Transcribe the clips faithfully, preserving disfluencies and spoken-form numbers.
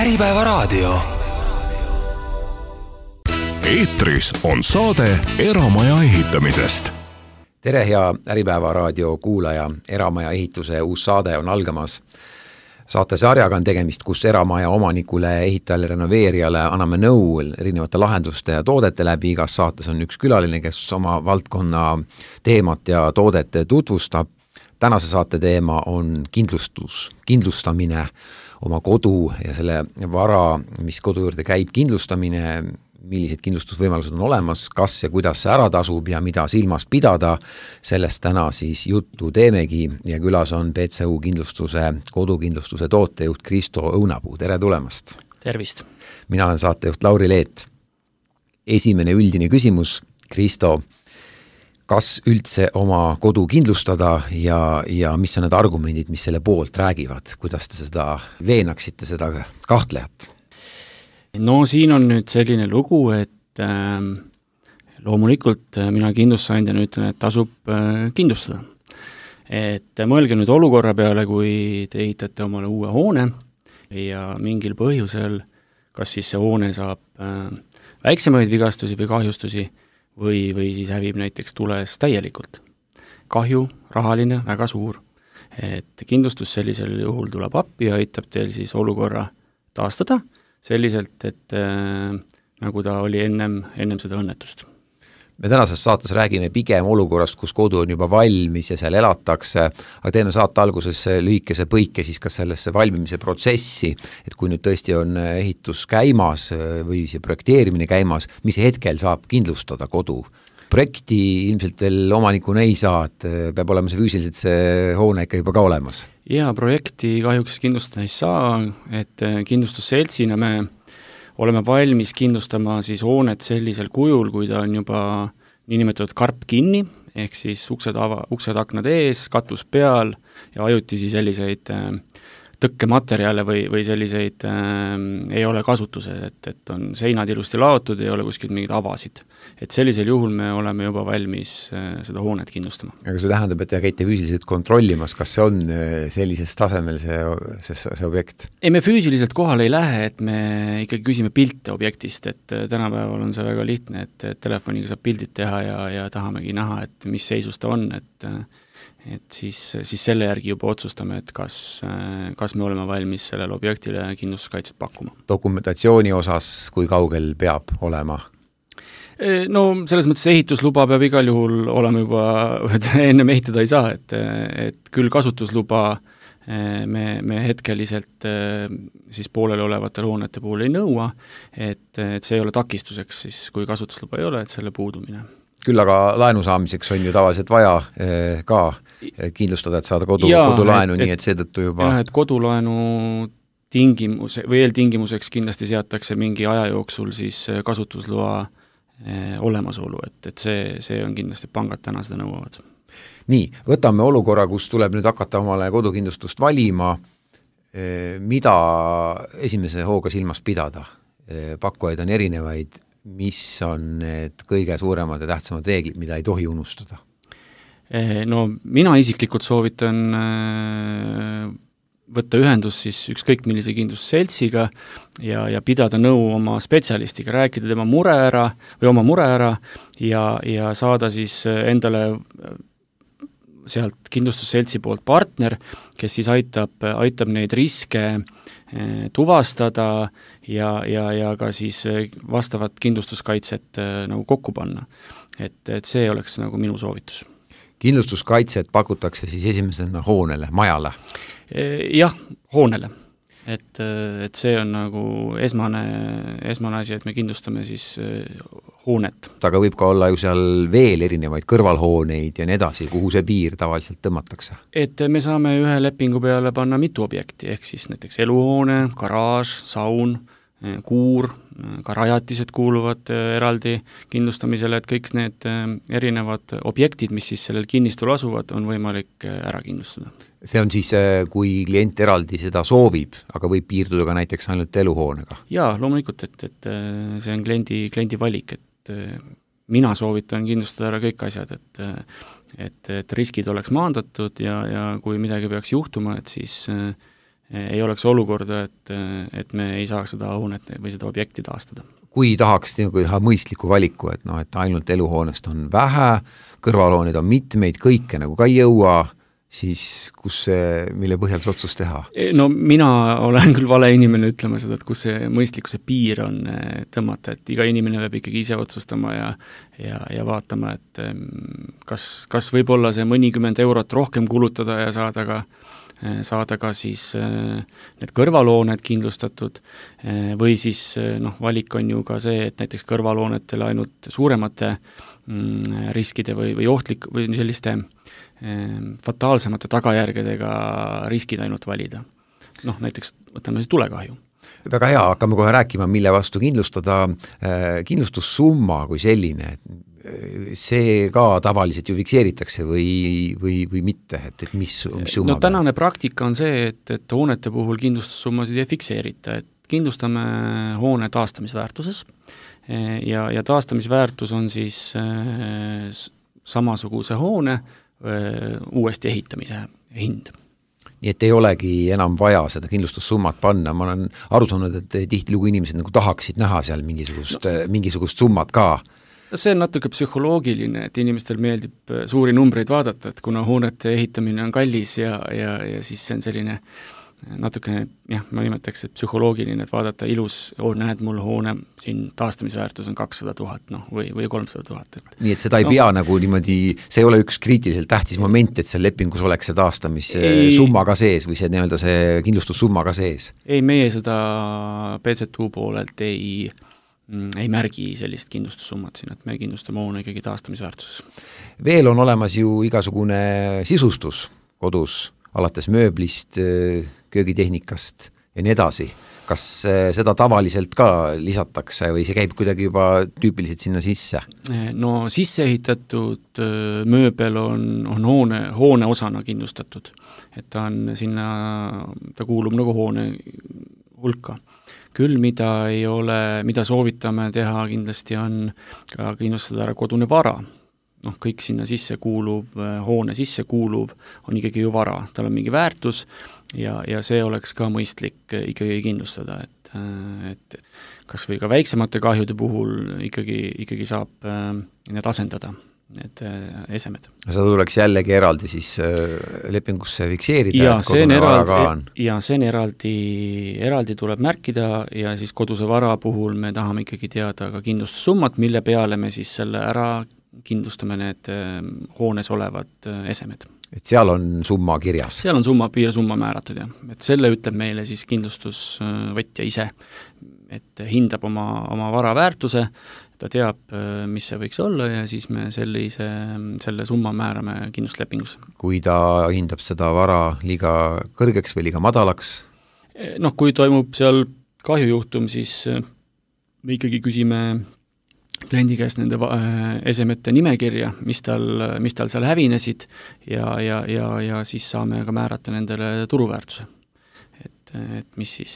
Äripäevaraadio. Eetris on saade Eramaja ehitamisest. Tere, hea Äripäevaraadio kuulaja. Eramaja ehituse uus saade on algamas. Saatesarjaga on tegemist, kus eramaja omanikule, ehitajale, renoveerijale anname nõu erinevate lahenduste ja toodete läbi. Igas saates on üks külaline, kes oma valdkonna teemat ja toodet tutvustab. Tänase saate teema on kindlustus, kindlustamine, oma kodu ja selle vara, mis kodu juurde käib, kindlustamine, millised kindlustusvõimalused on olemas, kas ja kuidas see ära tasub ja mida silmas pidada. Sellest täna siis juttu teemegi ja külas on B C U kindlustuse, kodukindlustuse tootejuht Kristo Õunapuu. Tere tulemast! Tervist! Mina olen saatejuht Lauri Leet. Esimene üldine küsimus, Kristo, kas üldse oma kodu kindlustada ja, ja mis on need argumendid, mis selle poolt räägivad? Kuidas te seda veenaksite, seda kahtlejat? No siin on nüüd selline lugu, et äh, loomulikult mina kindlustusandjana ütlen, et tasub äh, kindlustada. Et mõelge nüüd olukorra peale, kui te ehitate omale uue hoone ja mingil põhjusel, kas siis see hoone saab äh, väiksemaid vigastusi või kahjustusi või, või siis hävib näiteks tules täielikult. Kahju, rahaline, väga suur. Et kindlustus sellisel juhul tuleb appi ja aitab teil siis olukorra taastada selliselt, et äh, nagu ta oli ennem, ennem seda õnnetust. Me tänases saates räägime pigem olukorrast, kus kodu on juba valmis ja seal elatakse, aga teeme saate alguses lühikese põike siis ka sellesse valmimise protsessi, et kui nüüd tõesti on ehitus käimas või see projekteerimine käimas, mis hetkel saab kindlustada kodu? Projekti ilmselt veel omanikuna ei saa, et peab olema see füüsiliselt see hoone ikka juba ka olemas. Ja projekti kahjuks kindlustada ei saa, et kindlustusseltsina me oleme valmis kindlustama siis hoonet sellisel kujul, kui ta on juba niinimetatud karp kinni, ehk siis uksed, ava, uksed aknad ees, katus peal ja ajutisi selliseid tõkkematerjale või, või selliseid äh, ei ole kasutuses, et, et on seinad ilusti laotud, ei ole kuskilt mingid avasid. Et sellisel juhul me oleme juba valmis äh, seda hoonet kindlustama. Aga see tähendab, et te käite füüsiliselt kontrollimas, kas see on sellises tasemel see, see, see objekt? Ei, me füüsiliselt kohal ei lähe, et me ikkagi küsime pilte objektist, et tänapäeval on see väga lihtne, et telefoniga saab pildid teha ja, ja tahamegi näha, et mis seisus ta on, et et siis, siis selle järgi juba otsustame, et kas, kas me oleme valmis sellele objektile kindlustuskaitset pakkuma. Dokumentatsiooni osas, kui kaugel peab olema? No selles mõttes ehitusluba peab igal juhul olema juba, et ennem ehitada ei saa, et, et küll kasutusluba me, me hetkeliselt siis pooleli olevatel hoonete puhul ei nõua, et, et see ei ole takistuseks siis, kui kasutusluba ei ole, et selle puudumine. Küll aga laenu saamiseks on ju tavaliselt vaja eh, ka kindlustada, et saada kodu, Jaa, kodulaenu, et, nii et seetõttu juba... Jah, et kodulaenu tingimus, või eeltingimuseks kindlasti seatakse mingi aja jooksul siis kasutusloa eh, olemasolu, et, et see, see on kindlasti pangad täna seda nõuavad. Nii, võtame olukorra, kus tuleb nüüd hakata omale kodukindlustust valima, eh, mida esimese hooga silmas pidada. Eh, pakkujaid on erinevaid, mis on need kõige suuremad ja tähtsamad reeglid, mida ei tohi unustada? No mina isiklikult soovitan võtta ühendus siis ükskõik millise kindlustusseltsiga ja, ja pidada nõu oma spetsialistiga, rääkida tema mure ära või oma mure ära ja, ja saada siis endale sealt kindlustusseltsi poolt partner, kes siis aitab, aitab neid riske tuvastada ja, ja, ja ka siis vastavat kindlustuskaitset nagu kokku panna. Et, et see oleks nagu minu soovitus. Kindlustuskaitset pakutakse siis esimesena hoonele, majale? Jah, hoonele. Et, et see on nagu esmane, esmane asi, et me kindlustame siis hoonet. Aga võib ka olla ju seal veel erinevaid kõrvalhooneid ja nii edasi, kuhu see piir tavaliselt tõmmatakse? Et me saame ühe lepingu peale panna mitu objekti, ehk siis näiteks eluhoone, garaaž, saun, kuur, ka rajatised kuuluvad eraldi kindlustamisele, et kõik need erinevad objektid, mis siis sellel kinnistul asuvad, on võimalik ära kindlustada. See on siis, kui klient eraldi seda soovib, aga võib piirduda ka näiteks ainult eluhoonega? Jaa, loomulikult, et, et see on kliendi, kliendi valik, et mina soovitan kindlustada ära kõik asjad, et, et, et riskid oleks maandatud ja, ja kui midagi peaks juhtuma, et siis ei oleks olukorda, et, et me ei saaks seda hoonet või seda objekti taastada. Kui tahaks nagu teha mõistliku valiku, et noh, et ainult eluhoonest on vähe, kõrvalhooneid on mitmeid, kõike nagu ka ei jõua, siis kus see, mille põhjal see otsus teha? No mina olen küll vale inimene ütlema seda, et kus see mõistlikkuse piir on tõmmata, et iga inimene peab ikkagi ise otsustama ja, ja, ja vaatama, et kas, kas võib-olla see mõnikümmend eurot rohkem kulutada ja saada ka saada ka siis need kõrvalhooned kindlustatud või siis noh, valik on ju ka see, et näiteks kõrvalhoonetele ainult suuremate riskide või, või ohtlik või selliste fataalsemate tagajärgedega riskid ainult valida. Noh, näiteks võtame siis tulekahju. Väga hea, hakkame kohe rääkima, mille vastu kindlustada. Kindlustussumma kui selline, see ka tavaliselt ju fikseeritakse või, või, või mitte, et, et mis, mis summa? No tänane praktika on see, et, et hoonete puhul kindlustussummasid ei fikseerita, et kindlustame hoone taastamisväärtuses ja, ja taastamisväärtus on siis äh, samasuguse hoone äh, uuesti ehitamise hind. Nii et ei olegi enam vaja seda kindlustussummat panna, ma olen aru saanud, et tihtilugu inimesed nagu tahaksid näha seal mingisugust, no. mingisugust summat ka. See on natuke psühholoogiline, et inimestel meeldib suuri numbreid vaadata, et kuna hoonete ehitamine on kallis ja, ja, ja siis see on selline natuke, jah, ma nimetaks, et psühholoogiline, et vaadata ilus, oh, näed mul hoone, siin taastamisväärtus on kakssada tuhat, noh, või, või kolmsada tuhat. Et... nii, et seda ei no. pea nagu niimoodi, see ei ole üks kriitiliselt tähtis moment, et seal lepingus oleks see taastamissumma ka sees või see nii-öelda see kindlustussumma ka sees? Ei, meie seda P Z U poolelt ei ei märgi sellist kindlustussummat siin, et me kindlustame hoone ikkagi taastamisväärtuses. Veel on olemas ju igasugune sisustus kodus, alates mööblist, köögitehnikast ja nii edasi. Kas seda tavaliselt ka lisatakse või see käib kuidagi juba tüüpiliselt sinna sisse? No sisse ehitatud mööbel on, on hoone, hoone osana kindlustatud, et ta on sinna, ta kuulub nagu hoone hulka. Küll, mida ei ole, mida soovitame teha kindlasti on ka kindlustada ära kodune vara. Noh, kõik sinna sisse kuuluv, hoone sisse kuuluv on ikkagi ju vara. Tal on mingi väärtus ja, ja see oleks ka mõistlik ikkagi kindlustada, et, et kas või ka väiksemate kahjude puhul ikkagi, ikkagi saab need asendada, need esemed. Seda tuleks jällegi eraldi siis lepingusse fikseerida, ja, et kodune eraldi, vara ka on. Ja see on eraldi, eraldi tuleb märkida ja siis koduse vara puhul me tahame ikkagi teada ka kindlustussummat, mille peale me siis selle ära kindlustame need hoones olevad esemed. Et seal on summa kirjas? Seal on summa, piirsumma määratud, jah. Et selle ütleb meile siis kindlustusvõtja ise, et hindab oma, oma vara väärtuse, ta teab, mis see võiks olla ja siis me sellise, selle summa määrame kindlustuslepingus. Kui ta hindab seda vara liiga kõrgeks või liiga madalaks? Noh, kui toimub seal kahjujuhtum, siis me ikkagi küsime kliendi käest nende esemete nimekirja, mis tal, mis tal seal hävinesid ja, ja, ja, ja siis saame ka määrata nendele turuväärtuse. Et, et mis siis,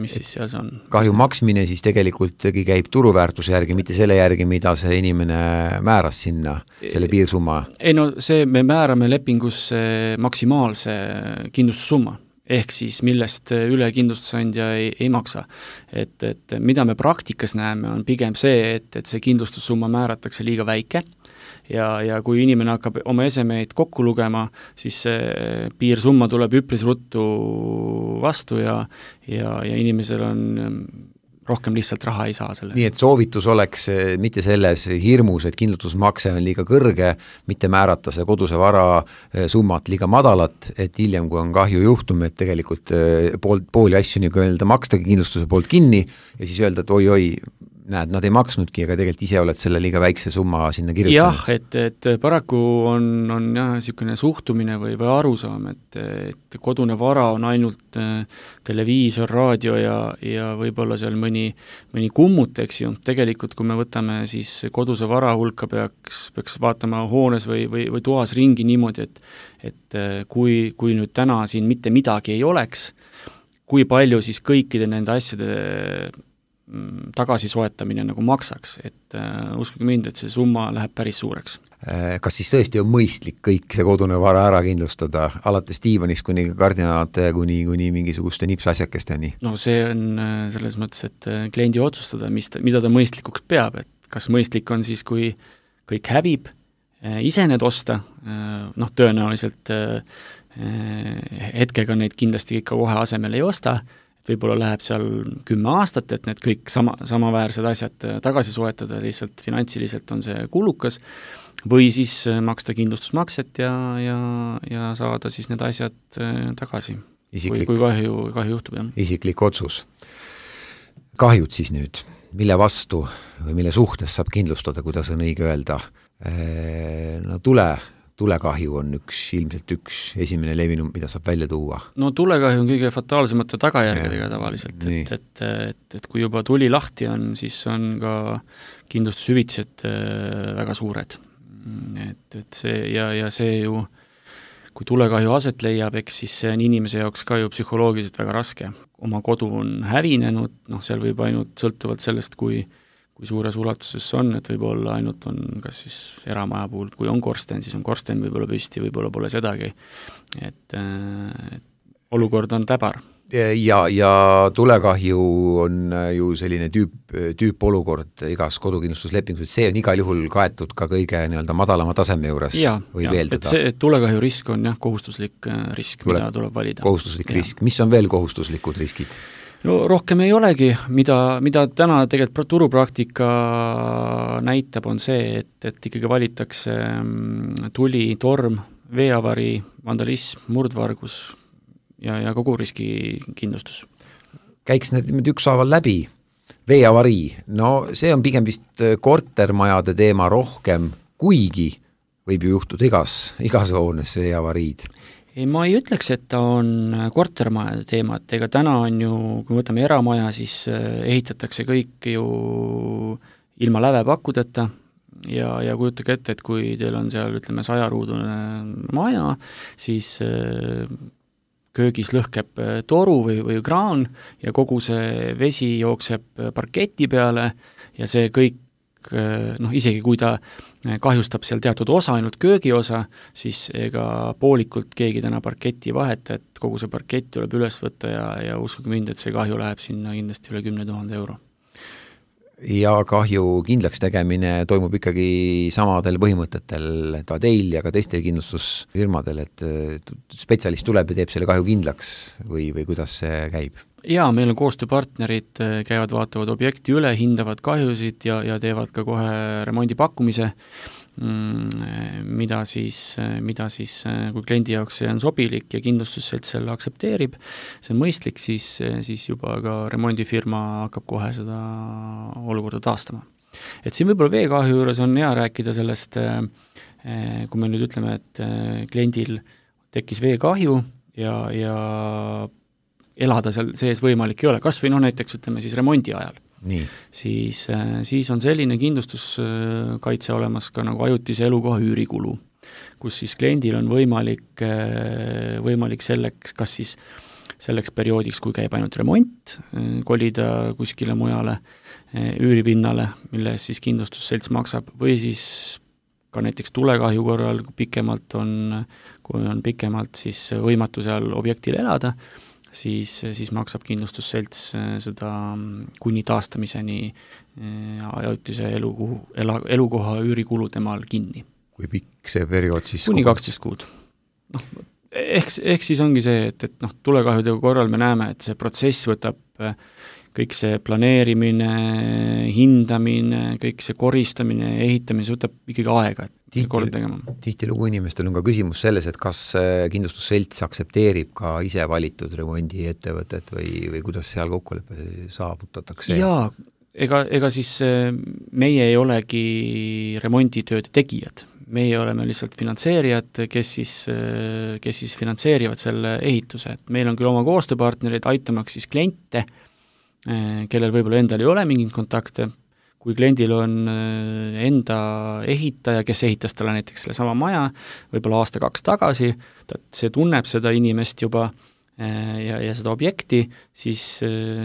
mis siis seal on. Kahju maksmine siis tegelikult käib turuväärtuse järgi, mitte selle järgi, mida see inimene määras sinna, selle piirsumma? Ei no see, me määrame lepingusse maksimaalse kindlustussumma, ehk siis millest üle kindlustusandja ei, ei maksa. Et, et mida me praktikas näeme, on pigem see, et, et see kindlustussumma määratakse liiga väike ja, ja kui inimene hakkab oma esemeid kokku lugema, siis see piirsumma tuleb üpris ruttu vastu ja, ja, ja inimesel on rohkem lihtsalt raha ei saa selle. Nii et soovitus oleks mitte selles hirmus, et kindlustusmakse on liiga kõrge, mitte määrata see koduse vara summat liiga madalat, et hiljem, kui on kahju juhtum, et tegelikult pool, pooli asju nii öelda makstagi kindlustuse poolt kinni ja siis öelda, et oi-oi, näed, nad ei maksnudki, aga tegelikult ise oled selle liiga väikse summa sinna kirjutanud. Jah, et, et paraku on, on jah, niisugune suhtumine või, või arusaam, et, et kodune vara on ainult televiisor, raadio ja, ja võib-olla seal mõni, mõni kummut, eks ju. Tegelikult, kui me võtame siis koduse vara hulka, peaks, peaks vaatama hoones või, või, või toas ringi niimoodi, et, et kui, kui nüüd täna siin mitte midagi ei oleks, kui palju siis kõikide nende asjade tagasi soetamine nagu maksaks, et uh, uskuge mind, et see summa läheb päris suureks. kas siis tõesti on mõistlik kõik see kodune vara ära kindlustada, alates diivanist kuni kardinate, kuni, kuni mingisuguste nipsasjakesteni? No see on selles mõttes, et kliendi otsustada, mis ta, mida ta mõistlikuks peab, et kas mõistlik on siis, kui kõik hävib, ise need osta, noh tõenäoliselt hetkega neid kindlasti ikka kohe asemel ei osta, et võib-olla läheb seal kümme aastat, et need kõik sama, samaväärsed asjad tagasi soetada, lihtsalt finantsiliselt on see kulukas, või siis maksta kindlustusmakset ja, ja, ja saada siis need asjad tagasi, Isiklik, kui, kui kahju, kahju juhtub. Jah. Isiklik otsus. Kahjud siis nüüd, mille vastu või mille suhtes saab kindlustada, kuidas on õige öelda? No tule tulekahju on üks, ilmselt üks esimene levinum, mida saab välja tuua. No tulekahju on kõige fataalsemate tagajärgedega tavaliselt, et, et, et, et kui juba tuli lahti on, siis on ka kindlustushüvitised väga suured. Et, et see ja, ja see ju, kui tulekahju aset leiab, eks siis see on inimese jaoks ka ju psühholoogiliselt väga raske. Oma kodu on hävinenud, noh seal võib ainult sõltuvalt sellest, kui kui suures ulatuses on, et võib-olla ainult on kas siis eramaja puhul, kui on korsten, siis on korsten võib-olla püsti, võib-olla pole sedagi, et, et olukord on täbar. Ja, ja tulekahju on ju selline tüüp, tüüp olukord igas kodukindlustuslepingus, et see on igal juhul kaetud ka kõige nii-öelda madalama taseme juures, ja, võib ja, eeldada. Et see et tulekahju risk on jah, kohustuslik risk, Tule, mida tuleb valida. Kohustuslik ja. risk, mis on veel kohustuslikud riskid? No rohkem ei olegi, mida, mida täna tegelikult turupraktika näitab, on see, et, et ikkagi valitakse tuli, torm, veeavari, vandalism, murdvargus ja, ja kogu riski kindlustus. Käiks need ükshaaval läbi, veeavari, no see on pigem vist kortermajade teema rohkem, kuigi võib ju juhtuda igas, igas hoones veeavariid. Ei, ma ei ütleks, et ta on kortermajade teema, et ega täna on ju, kui võtame eramaja, siis ehitatakse kõik ju ilma lävepakkudeta ja, ja kujutage ette, et kui teil on seal, ütleme, sajaruudune maja, siis köögis lõhkeb toru või, või kraan ja kogu see vesi jookseb parketi peale ja see kõik noh, isegi kui ta kahjustab seal teatud osa, ainult köögiosa, siis ega poolikult keegi täna parketi vaheta, et kogu see parkett tuleb üles võtta ja, ja uskuge mind, et see kahju läheb sinna kindlasti üle kümne tuhande euro. Ja kahju kindlaks tegemine toimub ikkagi samadel põhimõtetel ka teil ja ka teistel kindlustusfirmadel, et spetsialist tuleb ja teeb selle kahju kindlaks või, või kuidas see käib? Jaa, meil on koostööpartnerid, käivad, vaatavad objekti üle, hindavad kahjusid ja, ja teevad ka kohe remondipakkumise, mida siis, mida siis, kui kliendi jaoks see on sobilik ja kindlustusselt selle aktsepteerib, see on mõistlik, siis, siis juba ka remondifirma hakkab kohe seda olukorda taastama. Et siin võib-olla veekahju juures on hea rääkida sellest, kui me nüüd ütleme, et kliendil tekkis veekahju ja, ja elada seal sees võimalik ei ole, kas või noh näiteks ütleme siis remondi ajal. Nii. Siis, siis on selline kindlustuskaitse olemas ka nagu ajutise elukoha üürikulu, kus siis kliendil on võimalik, võimalik selleks, kas siis selleks perioodiks, kui käib ainult remont, kolida kuskile mujale üüripinnale, mille siis kindlustusselts maksab, või siis ka näiteks tulekahju korral pikemalt on, kui on pikemalt siis võimatu seal objektil elada, siis, siis maksab kindlustusselts seda kuni taastamiseni ajutise elukoha, elukoha üürikulu temal kinni. Kui pikk see periood siis? Kuni kaksteist kuud. No, ehk, ehk siis ongi see, et, et noh, tulekahjude korral me näeme, et see protsess võtab kõik see planeerimine, hindamine, kõik see koristamine, ehitamine, see võtab ikkagi aega, et tihti, tihtilugu inimestel on ka küsimus selles, et kas kindlustusselts aktsepteerib ka ise valitud remondiettevõtet või, või kuidas seal kokkuleppe saavutatakse? Jaa, ega, ega siis meie ei olegi remonditööde tegijad. Meie oleme lihtsalt finantseerijad, kes siis, kes siis finantseerivad selle ehituse. Et meil on küll oma koostööpartnerid aitamaks siis kliente, kellel võib-olla endal ei ole mingit kontakte, kui kliendil on enda ehitaja, kes ehitas talle näiteks selle sama maja, võib-olla aasta kaks tagasi, ta, see tunneb seda inimest juba, ja, ja seda objekti, siis,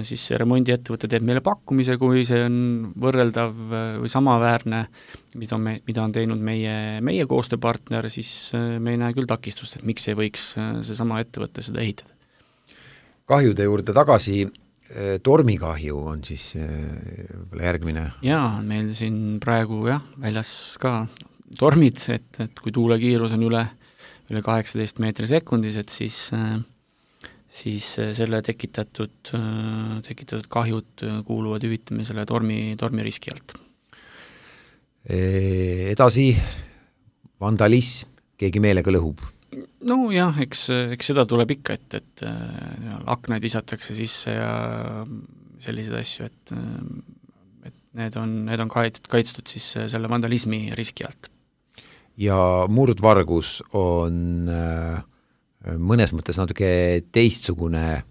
siis see remondiettevõte teeb meile pakkumise, kui see on võrreldav või samaväärne, mida on, me, mida on teinud meie, meie koostööpartner, siis me ei näe küll takistust, et miks ei võiks seesama ettevõte seda ehitada. Kahjude juurde tagasi, tormikahju on siis järgmine? Jaa, meil siin praegu jah, väljas ka tormid, et, et kui tuulekiirus on üle, üle kaheksateist meetri sekundis, et siis siis selle tekitatud, tekitatud kahjud kuuluvad hüvitamisele tormi, tormiriski alt. Edasi, vandalism, keegi meelega lõhub? No jah, eks, eks seda tuleb ikka, et, et aknaid visatakse sisse ja selliseid asju, et, et need on, need on kaitstud, kaitstud siis selle vandalismi riski alt. Ja murdvargus on äh, mõnes mõttes natuke teistsugune,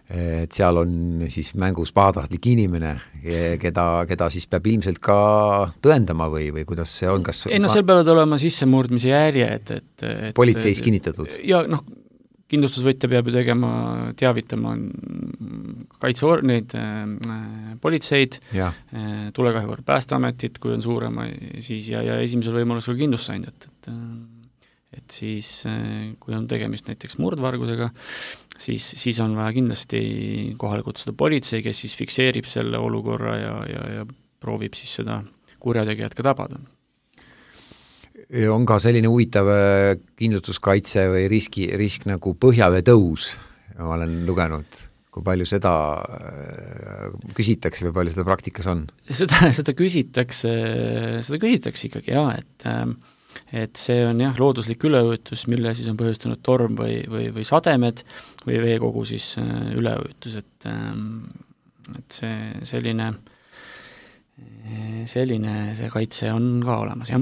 et seal on siis mängus pahatahtlik inimene, keda, keda siis peab ilmselt ka tõendama või, või kuidas see on, kas ei no seal peavad olema sissemurdmise järje, et, et, et politseis kinnitatud? Ja noh, kindlustusvõtja peab ju tegema, teavitama kaitse neid äh, politseid, äh, tulekahju Päästeametit, kui on suurema, siis ja, ja esimesel võimalusel kindlustusandjat, et äh, et siis, kui on tegemist näiteks murdvargusega, siis, siis on vaja kindlasti kohale kutsuda politsei, kes siis fikseerib selle olukorra ja, ja, ja proovib siis seda kurjategijat ka tabada. On ka selline huvitav kindlustuskaitse või riski, risk nagu põhjaveetõus, ma olen lugenud, kui palju seda küsitakse või palju seda praktikas on? Seda, seda küsitakse, seda küsitakse ikkagi jah, et et see on jah, looduslik üleujutus, mille siis on põhjustanud torm või, või, või sademed või veekogu siis üleujutus, et, et see selline, selline see kaitse on ka olemas, jah.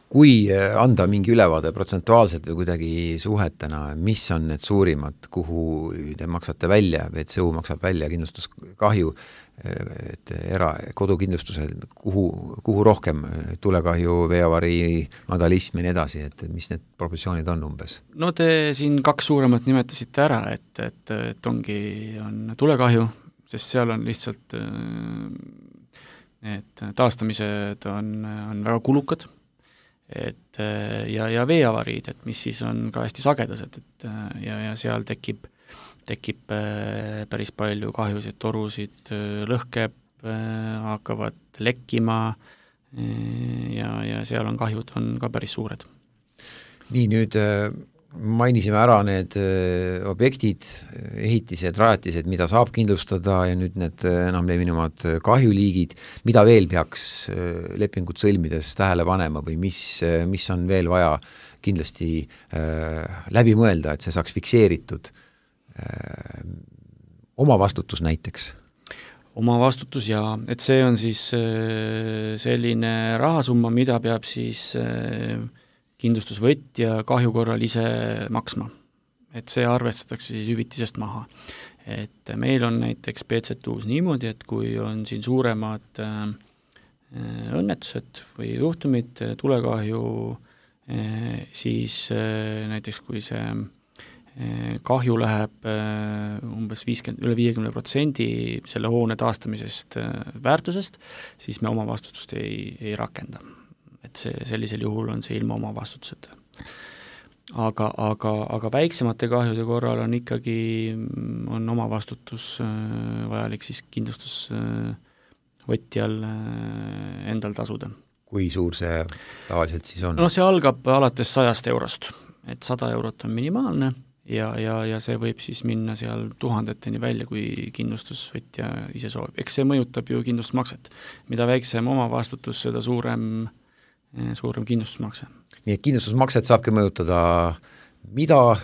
Kui anda mingi ülevaade protsentuaalselt või kuidagi suhetena, mis on need suurimad, kuhu te maksate välja, V C U maksab välja kindlustuskahju, et era, kodukindlustusel, kuhu, kuhu rohkem tulekahju, veeavari, vandalism ja nii edasi, et mis need proportsioonid on umbes? No te siin kaks suuremat nimetasite ära, et, et, et ongi, on tulekahju, sest seal on lihtsalt need taastamised on, on väga kulukad, et ja, ja veeavariid, et mis siis on ka hästi sagedased, et ja, ja seal tekib tekib päris palju kahjusid, torusid lõhkeb, hakkavad lekkima ja, ja seal on kahjud on ka päris suured. Nii, nüüd mainisime ära need objektid, ehitised, rajatised, mida saab kindlustada ja nüüd need enam levinumad kahjuliigid, mida veel peaks lepingut sõlmides tähele panema või mis, mis on veel vaja kindlasti läbi mõelda, et see saaks fikseeritud? Oma vastutus näiteks? Oma vastutus ja, et see on siis selline rahasumma, mida peab siis kindlustusvõtja kahju korral ise maksma. Et see arvestatakse siis hüvitisest maha. Et meil on näiteks P C T U-s niimoodi, et kui on siin suuremad õnnetused või juhtumid, tulekahju, siis näiteks kui see kahju läheb umbes viiskümmend, üle viiekümne protsendi selle hoone taastamisest väärtusest, siis me oma vastutust ei, ei rakenda. Et see, sellisel juhul on see ilma oma vastutuseta. Aga, aga, aga väiksemate kahjude korral on ikkagi, on oma vastutus vajalik siis kindlustusvõtjal endal tasuda. Kui suur see tavaliselt siis on? No see algab alates sajast eurost, et sada eurot on minimaalne ja, ja, ja see võib siis minna seal tuhandeteni välja, kui kindlustusvõtja ise soovib. Eks see mõjutab ju kindlustusmakset. Mida väiksem oma vastutus, seda suurem, suurem kindlustusmakse. Nii et kindlustusmakset saabki mõjutada, mida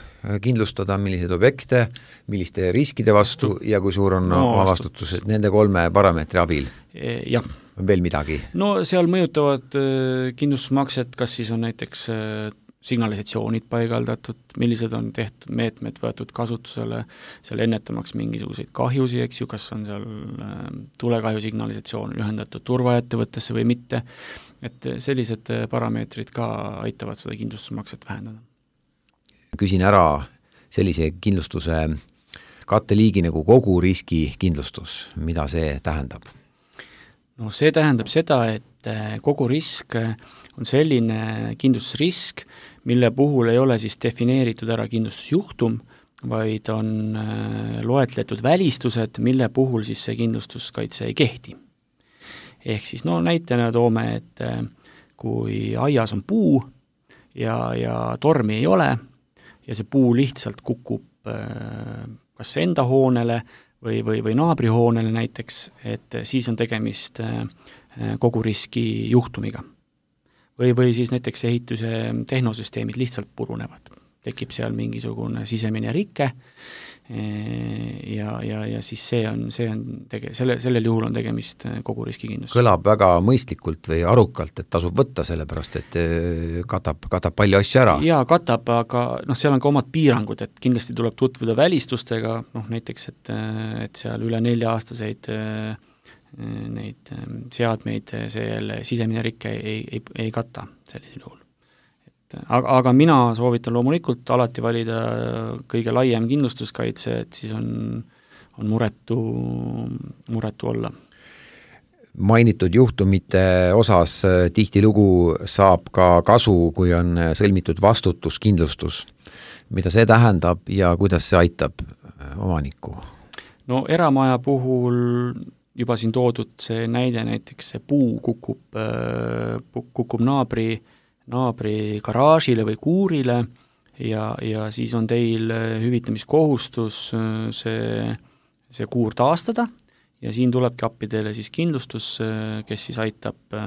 kindlustada, milliseid objekte, milliste riskide vastu ja kui suur on no, oma vastutus, et nende kolme parameetri abil. E, jah. On veel midagi? No seal mõjutavad kindlustusmakset, kas siis on näiteks signalisatsioonid paigaldatud, millised on tehtud meetmed võetud kasutusele, seal ennetamaks mingisuguseid kahjusi, eks ju, kas on seal tulekahju signalisatsioon ühendatud turvaettevõttesse või mitte, et sellised parameetrid ka aitavad seda kindlustusmakset vähendada. Küsin ära sellise kindlustuse katteliigi nagu kogu riskikindlustus, mida see tähendab? No see tähendab seda, et kogu risk on selline kindlustusrisk, mille puhul ei ole siis defineeritud ära kindlustusjuhtum, vaid on loetletud välistused, mille puhul siis see kindlustuskaitse ei kehti. Ehk siis no näitena toome, et kui aias on puu ja, ja tormi ei ole ja see puu lihtsalt kukub kas enda hoonele või, või, või naabrihoonele näiteks, et siis on tegemist kogu riski juhtumiga. Või, või siis näiteks ehituse tehnosüsteemid lihtsalt purunevad. Tekib seal mingisugune sisemine rike ja, ja, ja siis see on, see on tege-, selle, sellel juhul on tegemist kogu riskikindlus. Kõlab väga mõistlikult või arukalt, et tasub võtta sellepärast, et katab, katab palju asju ära. Jaa, katab, aga noh, seal on ka omad piirangud, et kindlasti tuleb tutvuda välistustega, noh näiteks, et, et seal üle nelja aastaseid neid seadmeid see jälle sisemine rikke ei, ei, ei kata sellisel juhul. Aga, aga mina soovitan loomulikult alati valida kõige laiem kindlustuskaitse, et siis on, on muretu, muretu olla. Mainitud juhtumite osas tihtilugu saab ka kasu, kui on sõlmitud vastutuskindlustus. Mida see tähendab ja kuidas see aitab omanikku? No eramaja puhul juba siin toodud see näide, näiteks see puu kukub, kukub naabri naabri garaažile või kuurile ja, ja siis on teil hüvitamiskohustus see, see kuur taastada ja siin tulebki appi teile siis kindlustus, kes siis aitab,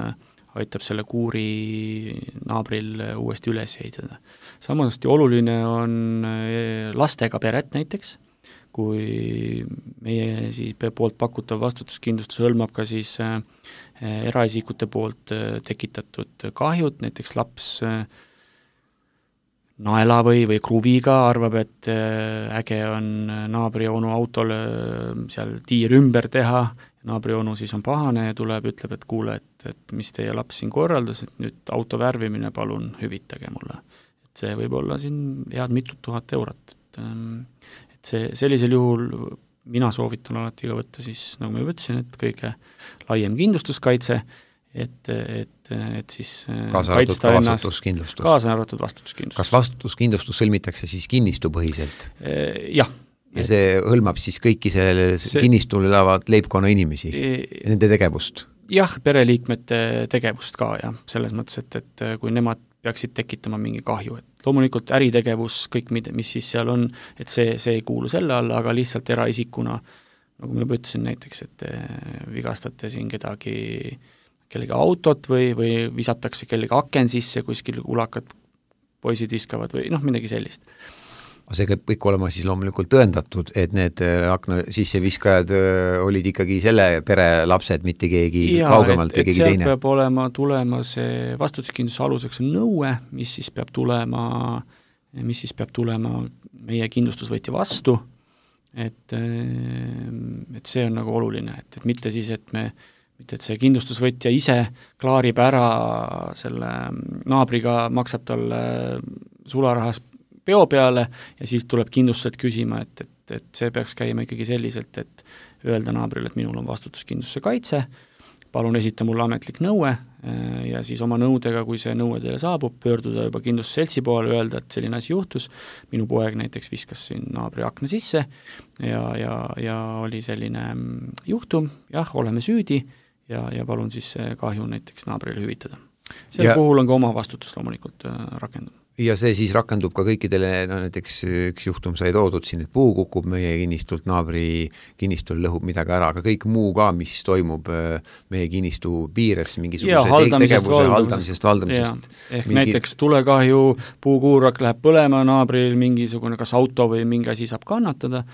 aitab selle kuuri naabril uuesti üles ehitada. Samuti oluline on lastega peret näiteks, kui meie siis poolt pakutav vastutuskindlustus hõlmab ka siis eraisikute poolt tekitatud kahjud, näiteks laps naela või, või kruviga arvab, et äge on naabri onu autole seal tiir ümber teha, naabri onu siis on pahane ja tuleb, ütleb, et kuule, et, et mis teie laps siin korraldas, et nüüd auto värvimine palun hüvitage mulle. Et see võib olla siin head mitut tuhat eurot, et et see, sellisel juhul mina soovitan alati ka võtta siis, nagu ma ütlesin, et kõige laiem kindlustuskaitse, et, et, et siis kaasa arvatud ka vastutuskindlustus. Kaasa arvatud vastutuskindlustus. Kas vastutuskindlustus sõlmitakse siis kinnistupõhiselt? Jah. Ja et, see hõlmab siis kõiki selle see, kinnistul elavad leibkonna inimesi, e, nende tegevust? Jah, pereliikmete tegevust ka, jah, selles mõttes, et, et kui nemad peaksid tekitama mingi kahju, et loomulikult äritegevus, kõik, mis siis seal on, et see, see ei kuulu selle alla, aga lihtsalt eraisikuna, nagu ma juba ütlesin näiteks, et vigastate siin kedagi, kellegi autot või, või visatakse kellegi aken sisse, kuskil ulakad poisid viskavad või noh, midagi sellist. See peab kõik olema siis loomulikult tõendatud, et need akna sisseviskajad olid ikkagi selle pere lapsed, mitte keegi ja, kaugemalt või keegi teine. Peab olema tulema see vastutuskindluse aluseks on nõue, mis siis peab tulema, mis siis peab tulema meie kindlustusvõtja vastu, et, et see on nagu oluline, et, et mitte siis, et me mitte et see kindlustusvõtja ise klaarib ära selle naabriga, maksab talle sularahas peo peale ja siis tuleb kindlustused küsima, et, et, et see peaks käima ikkagi selliselt, et öelda naabrile, et minul on vastutuskindlustuse kaitse, palun esita mulle ametlik nõue ja siis oma nõudega, kui see nõue teile saabub, pöörduda juba kindlustusseltsi poole, öelda, et selline asi juhtus, minu poeg näiteks viskas siin naabri akna sisse ja, ja, ja oli selline juhtum, jah, oleme süüdi ja, ja palun siis see kahju näiteks naabrile hüvitada. Selle ja puhul on ka oma vastutus loomulikult rakendub. Ja see siis rakendub ka kõikidele, no näiteks üks juhtum sai toodud siin, et puu kukub meie kinnistult, naabri kinnistul lõhub midagi ära, aga kõik muu ka, mis toimub meie kinnistu piires, mingisuguse tegevuse haldamisest, valdamisest. Ehk mingi... näiteks tulekahju, puukuurak läheb põlema, naabril mingisugune kas auto või mingi asi saab kannatada,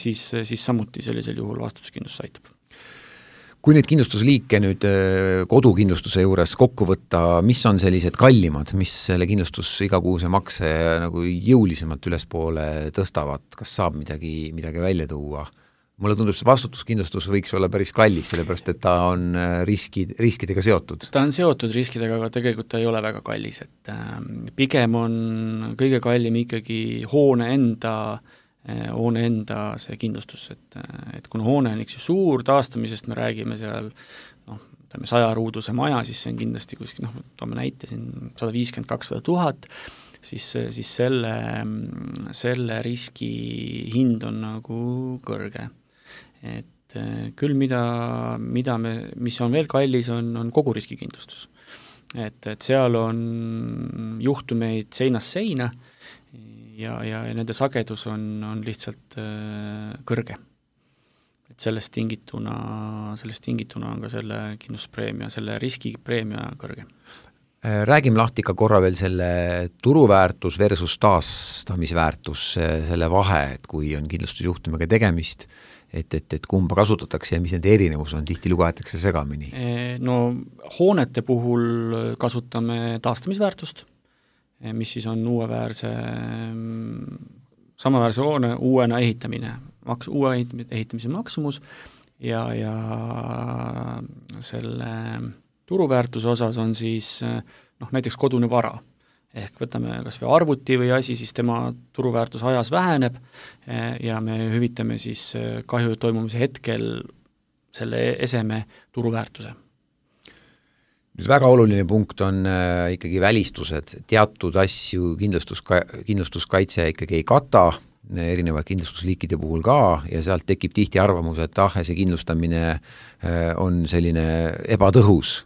siis, siis samuti sellisel juhul vastutuskindlus aitab. Kui neid kindlustusliike nüüd kodukindlustuse juures kokku võtta, mis on sellised kallimad, mis selle kindlustus igakuuse makse nagu jõulisemalt ülespoole tõstavad, kas saab midagi, midagi välja tuua? Mulle tundub, see vastutuskindlustus võiks olla päris kallis, sellepärast et ta on riskid, riskidega seotud. Ta on seotud riskidega, aga tegelikult ta ei ole väga kallis, et pigem on kõige kallim ikkagi hoone enda hoone enda see kindlustus, et, et kuna hoone on üks suur, taastamisest me räägime seal noh, ütleme sajaruuduse maja, siis see on kindlasti kuskil, noh, toome näite siin sada viiskümmend kakssada tuhat, siis, siis selle, selle riski hind on nagu kõrge. Et küll mida, mida me, mis on veel kallis, on, on kogu riskikindlustus. Et, et seal on juhtumeid seinast seina ja, ja, ja nende sagedus on, on lihtsalt äh, kõrge. Et sellest tingituna, sellest tingituna on ka selle kindlustuspreemia, selle riskipreemia kõrge. Räägime lahti ka korra veel selle turuväärtus versus taastamisväärtus, selle vahe, et kui on kindlustusjuhtumiga tegemist, et, et, et kumba kasutatakse ja mis nende erinevus on, tihti lugetakse segamini? No hoonete puhul kasutame taastamisväärtust, mis siis on uueväärse, samaväärse hoone uuena ehitamine, maks, uue ehitamise maksumus ja, ja selle turuväärtuse osas on siis noh, näiteks kodune vara. Ehk võtame kas või arvuti või asi, siis tema turuväärtus ajas väheneb ja me hüvitame siis kahju toimumise hetkel selle eseme turuväärtuse. Nüüd väga oluline punkt on äh, ikkagi välistused, teatud asju kindlustuska, kindlustuskaitse ikkagi ei kata, erinevad kindlustusliikide puhul ka ja sealt tekib tihti arvamus, et ah, see kindlustamine äh, on selline ebatõhus.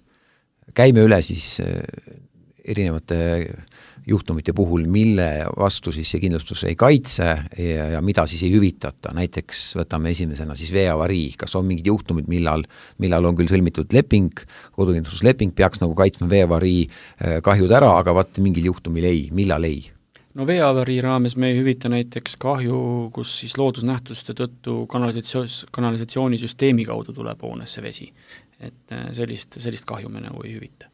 Käime üle siis äh, erinevate juhtumite puhul, mille vastu siis see kindlustus ei kaitse ja, ja mida siis ei hüvitata. Näiteks võtame esimesena siis veeavarii, kas on mingid juhtumid, millal, millal on küll sõlmitud leping, kodukindlustusleping peaks nagu kaitsma veeavarii kahjud ära, aga vaat mingil juhtumil ei, millal ei? No veeavarii raames me ei hüvita näiteks kahju, kus siis loodusnähtuste tõttu kanalisatsioon, kanalisatsioonisüsteemi kaudu tuleb hoonesse vesi. Et sellist, sellist kahju me nagu ei hüvita.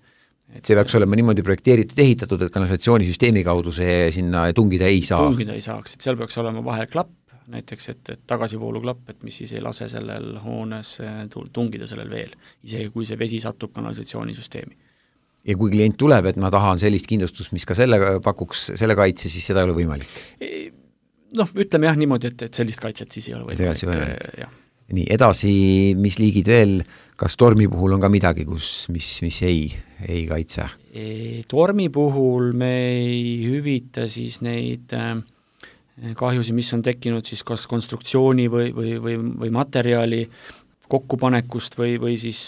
Et see peaks olema niimoodi projekteeritud, ehitatud, et kanalisatsioonisüsteemi kaudu see sinna tungida ei saa. Tungida ei saaks, et seal peaks olema vahel klapp, näiteks, et, et tagasivoolu klapp, et mis siis ei lase sellel hoones tungida sellel veel, isegi kui see vesi satub kanalisatsioonisüsteemi. Ja kui klient tuleb, et ma tahan sellist kindlustust, mis ka selle pakuks, selle kaitse, siis seda ei ole võimalik? Noh, ütleme jah niimoodi, et, et sellist kaitset siis ei ole võimalik. võimalik. Nii, edasi, mis liigid veel, kas tormi puhul on ka midagi, kus, mis, mis ei, ei kaitse? Tormi puhul me ei hüvita siis neid kahjusi, mis on tekkinud siis kas konstruktsiooni või, või, või, või materjali kokkupanekust või, või siis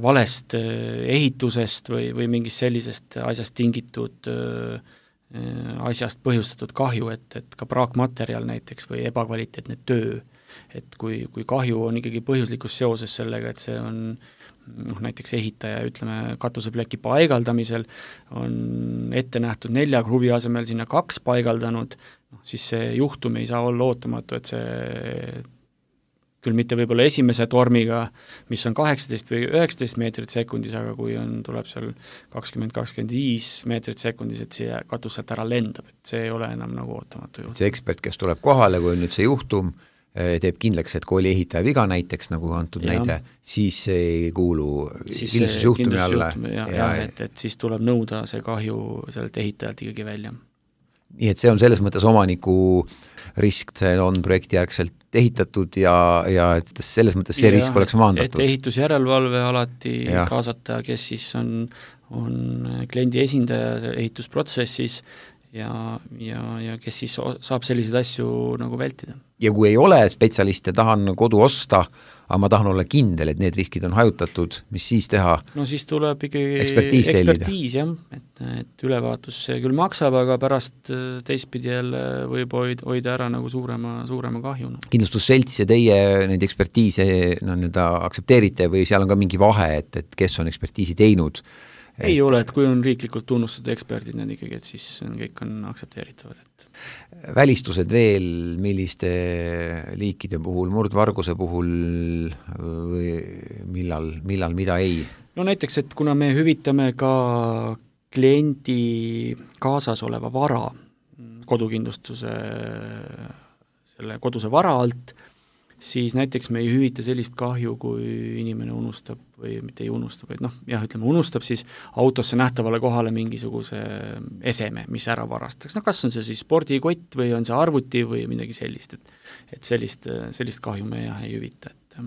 valest ehitusest või, või mingist sellisest asjast tingitud asjast põhjustatud kahju, et, et ka praakmaterjal näiteks või ebakvaliteetne töö. Et kui, kui kahju on ikkagi põhjuslikus seoses sellega, et see on noh, näiteks ehitaja, ütleme, katusepleki paigaldamisel on ette nähtud nelja kruvi asemel sinna kaks paigaldanud, noh, siis see juhtum ei saa olla ootamatu, et see küll mitte võib-olla esimese tormiga, mis on kaheksateist või üheksateist meetrit sekundis, aga kui on, tuleb seal kakskümmend kakskümmend viis meetrit sekundis, et see katus sealt ära lendab, et see ei ole enam nagu ootamatu juhtum. See ekspert, kes tuleb kohale, kui on nüüd see juhtum, teeb kindlaks, et kui oli ehitaja viga näiteks, nagu antud ja. näide, siis ei kuulu kindlustusjuhtumi alla. Ja, ja, et, et siis tuleb nõuda see kahju sellelt ehitajalt ikkagi välja. Nii et see on selles mõttes omaniku risk, see on projektijärgselt ehitatud ja, ja et selles mõttes see ja, risk oleks maandatud. Et ehitusjärelevalve alati ja. kaasata, kes siis on, on kliendi esindaja ehitusprotsessis ja, ja, ja kes siis saab selliseid asju nagu vältida. Ja kui ei ole spetsialist ja tahan kodu osta, aga ma tahan olla kindel, et need riskid on hajutatud, mis siis teha? No siis tuleb ikkagi ekspertiis, ekspertiis jah, et, et ülevaatus see küll maksab, aga pärast teistpidi jälle võib hoida ära nagu suurema, suurema kahjuna. Kindlustusselts ja teie neid ekspertiise no, nii-öelda aktsepteerite või seal on ka mingi vahe, et, et kes on ekspertiisi teinud? Ei et... ole, et kui on riiklikult tunnustatud eksperdid need ikkagi, et siis kõik on aktsepteeritavad. Et... Välistused veel, milliste liikide puhul, murdvarguse puhul või millal, millal mida ei? No näiteks, et kuna me hüvitame ka kliendi kaasas oleva vara kodukindlustuse, selle koduse vara alt, siis näiteks me ei hüvita sellist kahju, kui inimene unustab või mitte ei unustab, vaid noh, jah, ütleme, unustab siis autosse nähtavale kohale mingisuguse eseme, mis ära varastaks. No kas on see siis spordikott või on see arvuti või midagi sellist, et, et sellist, sellist kahju me jah ei hüvita. Et,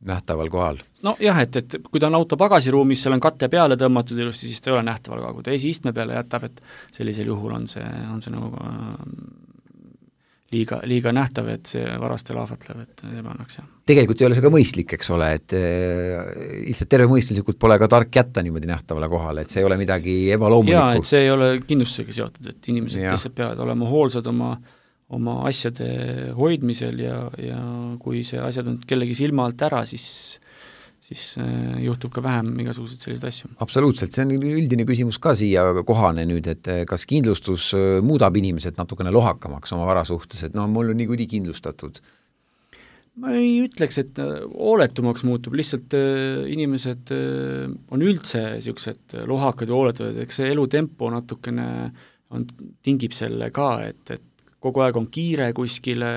nähtaval kohal? No jah, et, et kui ta on auto pagasiruumis, seal on katte peale tõmmatud ilusti, siis ta ei ole nähtaval kohal. Kui ta esiistme peale jätab, et sellisel juhul on see, on see nagu liiga, liiga nähtav, et see varastel ahvatlev, et see pannaks, jah. Tegelikult ei ole see ka mõistlik, eks ole, et lihtsalt tervemõistlikult pole ka tark jätta niimoodi nähtavale kohale, et see ei ole midagi ebaloomulikku. Jaa, et see ei ole kindlustusega seotud, et inimesed lihtsalt peavad olema hoolsad oma, oma asjade hoidmisel ja, ja kui see asjad on kellegi silma alt ära, siis siis juhtub ka vähem igasuguseid selliseid asju. Absoluutselt, see on üldine küsimus ka siia kohane nüüd, et kas kindlustus muudab inimesed natukene lohakamaks oma vara suhtes, et no mul on niikuinii kindlustatud? Ma ei ütleks, et hooletumaks muutub, lihtsalt inimesed on üldse niisugused lohakad ja hooletuvad, eks see elutempo natukene on, tingib selle ka, et, et kogu aeg on kiire kuskile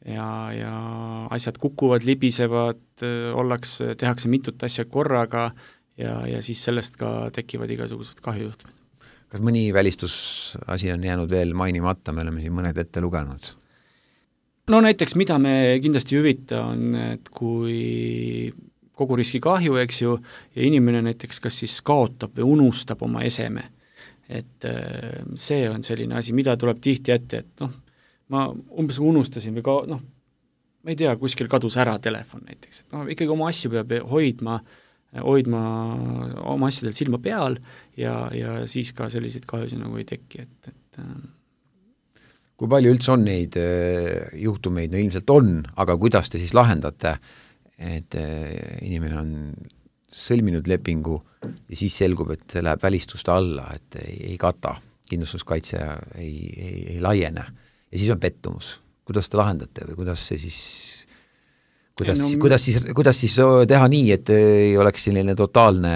ja, ja asjad kukuvad, libisevad, ollakse, tehakse mitut asja korraga ja, ja siis sellest ka tekivad igasugused kahjujuhtumid. Kas mõni välistusasi on jäänud veel mainimata, me oleme siin mõned ette lugenud? No näiteks, mida me kindlasti hüvita, on, et kui kogu riski kahju, eks ju, ja inimene näiteks kas siis kaotab või unustab oma eseme, et see on selline asi, mida tuleb tihti ette, et noh, ma umbes unustasin või ka, noh, ma ei tea, kuskil kadus ära telefon näiteks, et noh, ikkagi oma asju peab hoidma, hoidma oma asjadel silma peal ja, ja siis ka selliseid kahjusid nagu ei teki, et, et kui palju üldse on neid juhtumeid, no ilmselt on, aga kuidas te siis lahendate, et inimene on sõlminud lepingu ja siis selgub, et see läheb välistuste alla, et ei, ei kata, kindlustuskaitse ei, ei, ei laiene ja siis on pettumus. Kuidas te lahendate või kuidas see siis, kuidas, no, kuidas siis, kuidas siis teha nii, et ei oleks selline totaalne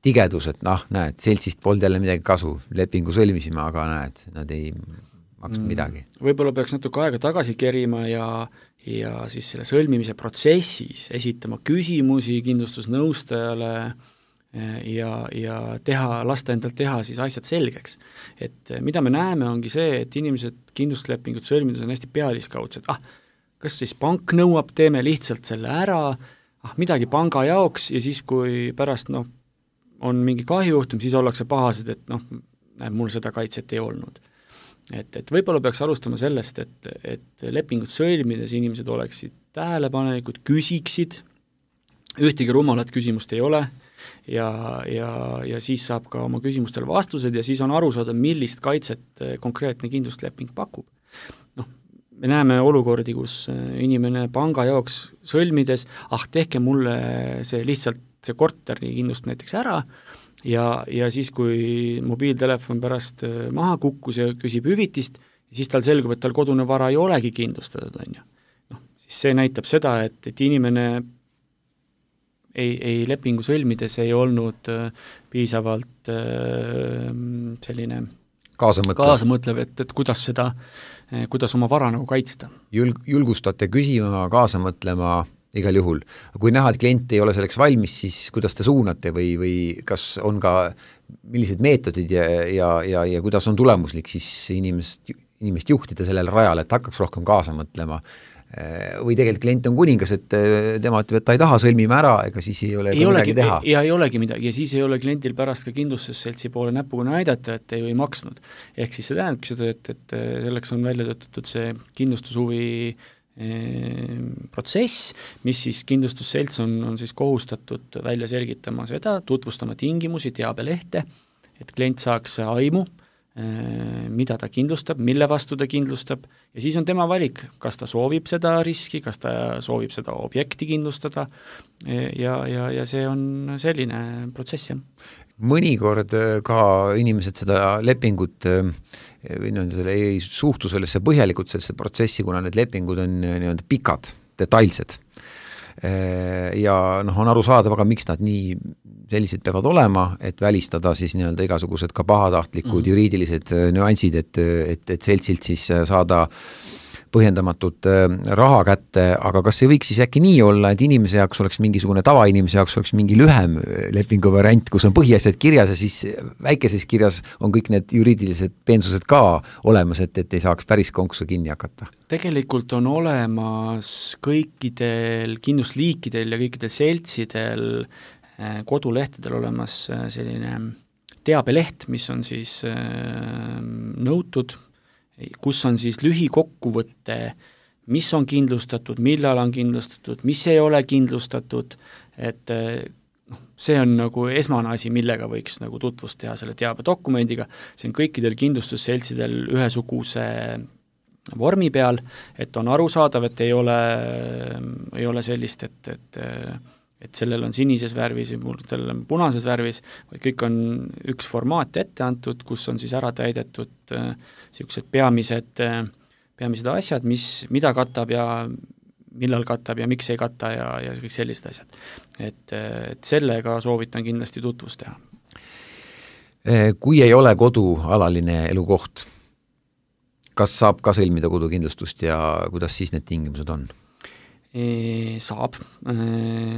tigedus, et noh, näed, seltsist polnud jälle midagi kasu, lepingu sõlmisime, aga näed, nad ei maksnud mm. midagi. Võib-olla peaks natuke aega tagasi kerima ja, ja siis selle sõlmimise protsessis esitama küsimusi kindlustusnõustajale ja, ja teha, lasta endalt teha siis asjad selgeks. Et mida me näeme, ongi see, et inimesed kindlustuslepingut sõlmides on hästi pealiskaudsed, ah, kas siis pank nõuab, teeme lihtsalt selle ära, ah, midagi panga jaoks ja siis, kui pärast noh, on mingi kahjujuhtum, siis ollakse pahased, et noh, mul seda kaitset ei olnud. Et, et võib-olla peaks alustama sellest, et, et lepingut sõlmides inimesed oleksid tähelepanelikud, küsiksid, ühtegi rumalat küsimust ei ole ja, ja, ja siis saab ka oma küsimustele vastused ja siis on aru saada, millist kaitset konkreetne kindlustusleping pakub. Noh, me näeme olukordi, kus inimene panga jaoks sõlmides, ah, tehke mulle see lihtsalt see korteri kindlust näiteks ära ja, ja siis, kui mobiiltelefon pärast maha kukkus ja küsib hüvitist, siis tal selgub, et tal kodune vara ei olegi kindlustatud, on ju. Noh, siis see näitab seda, et, et inimene ei, ei lepingu sõlmides ei olnud piisavalt selline kaasamõtlev, kaasamõtlev et, et kuidas seda, kuidas oma vara nagu kaitsta. Julg, julgustate küsima, kaasamõtlema igal juhul. Kui näha, et klient ei ole selleks valmis, siis kuidas te suunate või, või kas on ka millised meetodid ja, ja, ja, ja kuidas on tulemuslik siis inimest, inimest juhtida sellele rajale, et hakkaks rohkem kaasa mõtlema? Või tegelikult klient on kuningas, et tema ütleb, et ta ei taha, sõlmime ära, ega siis ei ole ei midagi teha. Ja ei olegi midagi, ja siis ei ole klientil pärast ka kindlustusseltsi poole näpuga näidata, et ei või maksnud. Ehk siis see tähendabki seda, et, et selleks on välja töötatud see kindlustushuvi protsess, mis siis kindlustusselts on, on siis kohustatud välja selgitama seda, tutvustama tingimusi, teabelehte, et klient saaks aimu, mida ta kindlustab, mille vastu ta kindlustab ja siis on tema valik, kas ta soovib seda riski, kas ta soovib seda objekti kindlustada ja, ja, ja see on selline protsess, jah. Mõnikord ka inimesed seda lepingut või nii-öelda ei suhtu sellesse põhjalikult sellesse protsessi, kuna need lepingud on nii-öelda pikad, detailsed. Ja noh, on aru saada, aga miks nad nii sellised peavad olema, et välistada siis nii-öelda igasugused ka pahatahtlikud mm-hmm. juriidilised nüansid, et, et, et seltsilt siis saada põhjendamatut raha kätte, aga kas ei võiks siis äkki nii olla, et inimese jaoks oleks mingisugune tavainimese jaoks oleks mingi lühem lepingu variant, kus on põhiasjad kirjas ja siis väikeses kirjas on kõik need juriidilised peensused ka olemas, et, et ei saaks päris konksu kinni hakata? Tegelikult on olemas kõikidel kindlusliikidel ja kõikidel seltsidel kodulehtedel olemas selline teabeleht, mis on siis nõutud, kus on siis lühikokkuvõte, mis on kindlustatud, millal on kindlustatud, mis ei ole kindlustatud, et noh, see on nagu esmane asi, millega võiks nagu tutvust teha selle teabedokumendiga, see on kõikidel kindlustusseltsidel ühesuguse vormi peal, et on arusaadav, et ei ole, ei ole sellist, et, et et sellel on sinises värvis ja sellel on punases värvis, vaid kõik on üks formaat ette antud, kus on siis ära täidetud niisugused peamised, peamised asjad, mis, mida katab ja millal katab ja miks ei kata ja, ja kõik sellised asjad. Et, et sellega soovitan kindlasti tutvust teha. Kui ei ole kodu alaline elukoht, kas saab ka sõlmida kodukindlustust ja kuidas siis need tingimused on? Saab,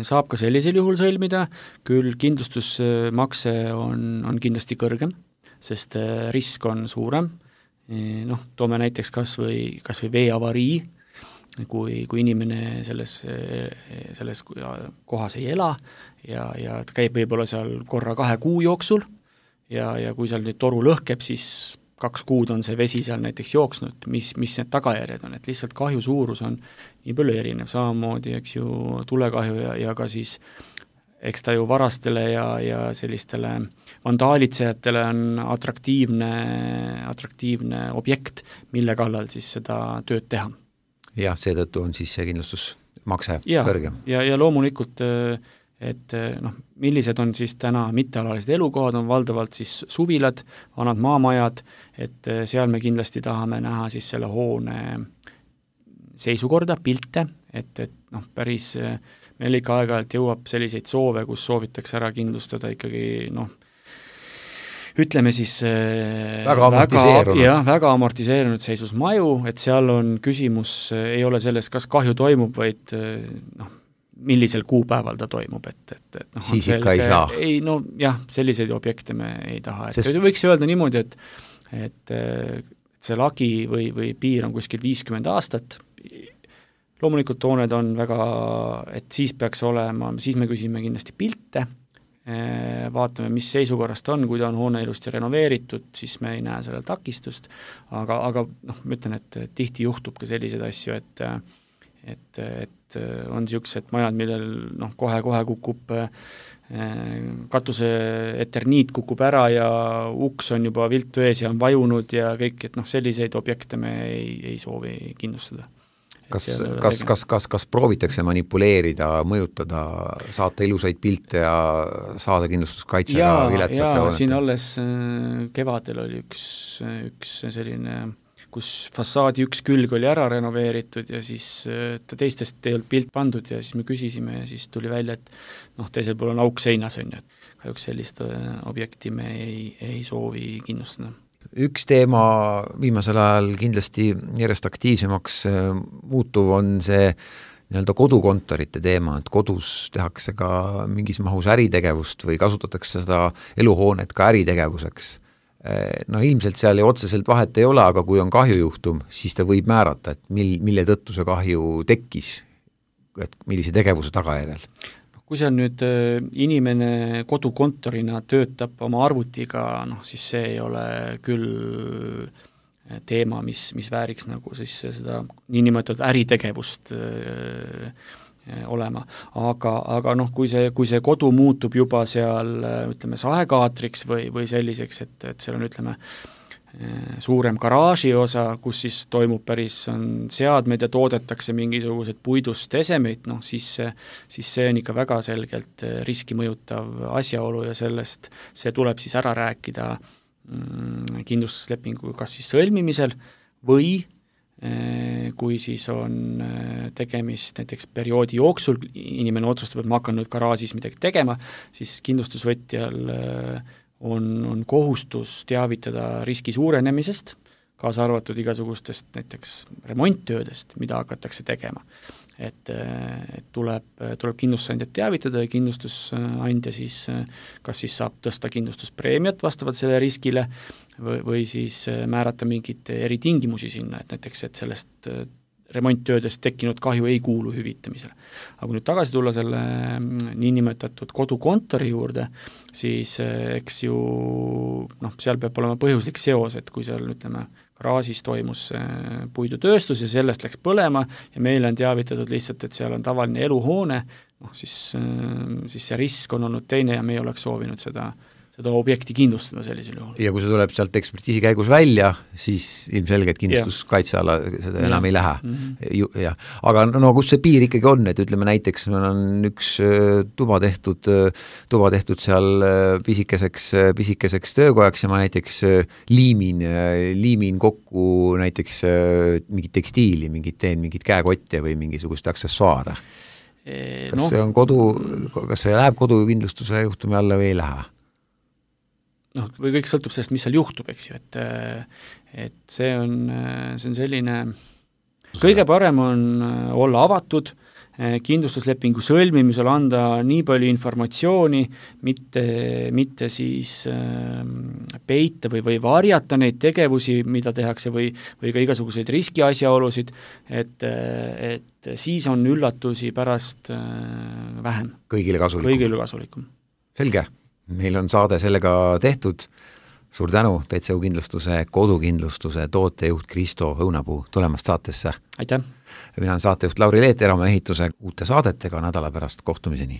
saab ka sellisel juhul sõlmida, küll kindlustusmakse on, on kindlasti kõrgem, sest risk on suurem. Noh, toome näiteks kas või, kas või veeavarii, kui, kui inimene selles, selles kohas ei ela ja, ja ta käib võib-olla seal korra kahe kuu jooksul ja, ja kui seal nüüd toru lõhkeb, siis kaks kuud on see vesi seal näiteks jooksnud, mis, mis need tagajärjed on, et lihtsalt kahju suurus on nii palju erinev, samamoodi, eks ju, tulekahju ja, ja ka siis eks ta ju varastele ja, ja sellistele vandaalitsejatele on atraktiivne, atraktiivne objekt, mille kallal siis seda tööd teha. Jah, seetõttu on siis see kindlustusmakse ja, kõrgem. Ja, ja loomulikult et noh, millised on siis täna mittealalised elukohad, on valdavalt siis suvilad, vanad maamajad, et seal me kindlasti tahame näha siis selle hoone seisukorda, pilte, et, et noh, päris meil ikka aeg-ajalt jõuab selliseid soove, kus soovitakse ära kindlustada ikkagi noh, ütleme siis väga amortiseerunud, jah, väga amortiseerunud seisus maju, et seal on küsimus, ei ole selles, kas kahju toimub, vaid noh, millisel kuupäeval ta toimub, et, et, et noh, siis ikka ei saa. Ei, no jah, selliseid objekte me ei taha, et Sest... võiks öelda niimoodi, et, et, et see lagi või, või piir on kuskil viiskümmend aastat, loomulikult hooned on väga, et siis peaks olema, siis me küsime kindlasti pilte, vaatame, mis seisukorrast on, kui ta on hoone ilusti renoveeritud, siis me ei näe sellel takistust, aga, aga noh, ma ütlen, et tihti juhtub ka selliseid asju, et et, et on niisugused majad, millel noh, kohe-kohe kukub katuse eterniit kukub ära ja uks on juba viltu ees ja on vajunud ja kõik, et noh, selliseid objekte me ei, ei soovi kindlustada. Kas, kas, kas, kas, kas proovitakse manipuleerida, mõjutada, saata ilusaid pilte ja saada kindlustuskaitsega viletsate hoonete? Siin alles kevadel oli üks, üks selline kus fassaadi üks külg oli ära renoveeritud ja siis ta teistest ei olnud pilt pandud ja siis me küsisime ja siis tuli välja, et noh, teisel pool on auk seinas on ju, et kahjuks sellist objekti me ei, ei soovi kindlustada. Üks teema viimasel ajal kindlasti järjest aktiivsemaks muutuv on see nii-öelda kodukontorite teema, et kodus tehakse ka mingis mahus äritegevust või kasutatakse seda eluhoonet ka äritegevuseks. No ilmselt seal ju otseselt vahet ei ole, aga kui on kahjujuhtum, siis ta võib määrata, et mil, mille tõttu see kahju tekkis, et millise tegevuse tagajärjel. Kui seal nüüd inimene kodukontorina töötab oma arvutiga, noh siis see ei ole küll teema, mis, mis vääriks nagu siis seda niinimetatud äritegevust olema, aga, aga noh, kui see, kui see kodu muutub juba seal ütleme sahekaatriks või, või selliseks, et, et seal on ütleme suurem garaaži osa, kus siis toimub päris, on seadmed ja toodetakse mingisugused puidust esemeid, noh siis, siis see on ikka väga selgelt riski mõjutav asjaolu ja sellest see tuleb siis ära rääkida mm, kindlustuslepingu kas siis sõlmimisel või kui siis on tegemist näiteks perioodi jooksul, inimene otsustab, et ma hakkan nüüd garaažis midagi tegema, siis kindlustusvõtjal on, on kohustus teavitada riski suurenemisest, kaasa arvatud igasugustest näiteks remonttöödest, mida hakatakse tegema. Et, et tuleb, tuleb kindlustusandjat teavitada ja kindlustusandja siis kas siis saab tõsta kindlustuspreemiat vastavalt selle riskile või, või siis määrata mingit eritingimusi sinna, et näiteks, et sellest remonttöödest tekkinud kahju ei kuulu hüvitamisele. Aga kui nüüd tagasi tulla selle niinimetatud kodukontori juurde, siis eks ju noh, seal peab olema põhjuslik seos, et kui seal ütleme garaažis toimus puidutööstus ja sellest läks põlema ja meile on teavitatud lihtsalt, et seal on tavaline eluhoone, noh siis, siis see risk on olnud teine ja me ei oleks soovinud seda seda objekti kindlustada sellisel juhul. Ja kui see tuleb sealt ekspertiisi käigus välja, siis ilmselgelt kindlustuskaitseala seda enam ja. ei lähe. Mm-hmm. Ja. Aga no kus see piir ikkagi on, et ütleme näiteks meil on üks tuba tehtud, tuba tehtud seal pisikeseks, pisikeseks töökojaks ja ma näiteks liimin, liimin kokku näiteks mingit tekstiili, mingit teen, mingit käekotte või mingisugust aksessuaare. Kas no. see on kodu, kas see läheb kodukindlustuse juhtumi alla või ei lähe? noh, või kõik sõltub sellest, mis seal juhtub, eks ju, et et see on, see on selline, kõige parem on olla avatud, kindlustuslepingu sõlmimisel anda nii palju informatsiooni, mitte, mitte siis peita või, või varjata neid tegevusi, mida tehakse või, või ka igasuguseid riskiasjaolusid, et, et siis on üllatusi pärast vähem. Kõigile kasulikum. Kõigile kasulikum. Selge. Meil on saade sellega tehtud. Suur tänu P C U kindlustuse, kodukindlustuse tootejuht Kristo Õunapuu tulemast saatesse. Aitäh! Mina olen saatejuht Lauri Leet, Eramaa ehituse uute saadetega nädala pärast kohtumiseni.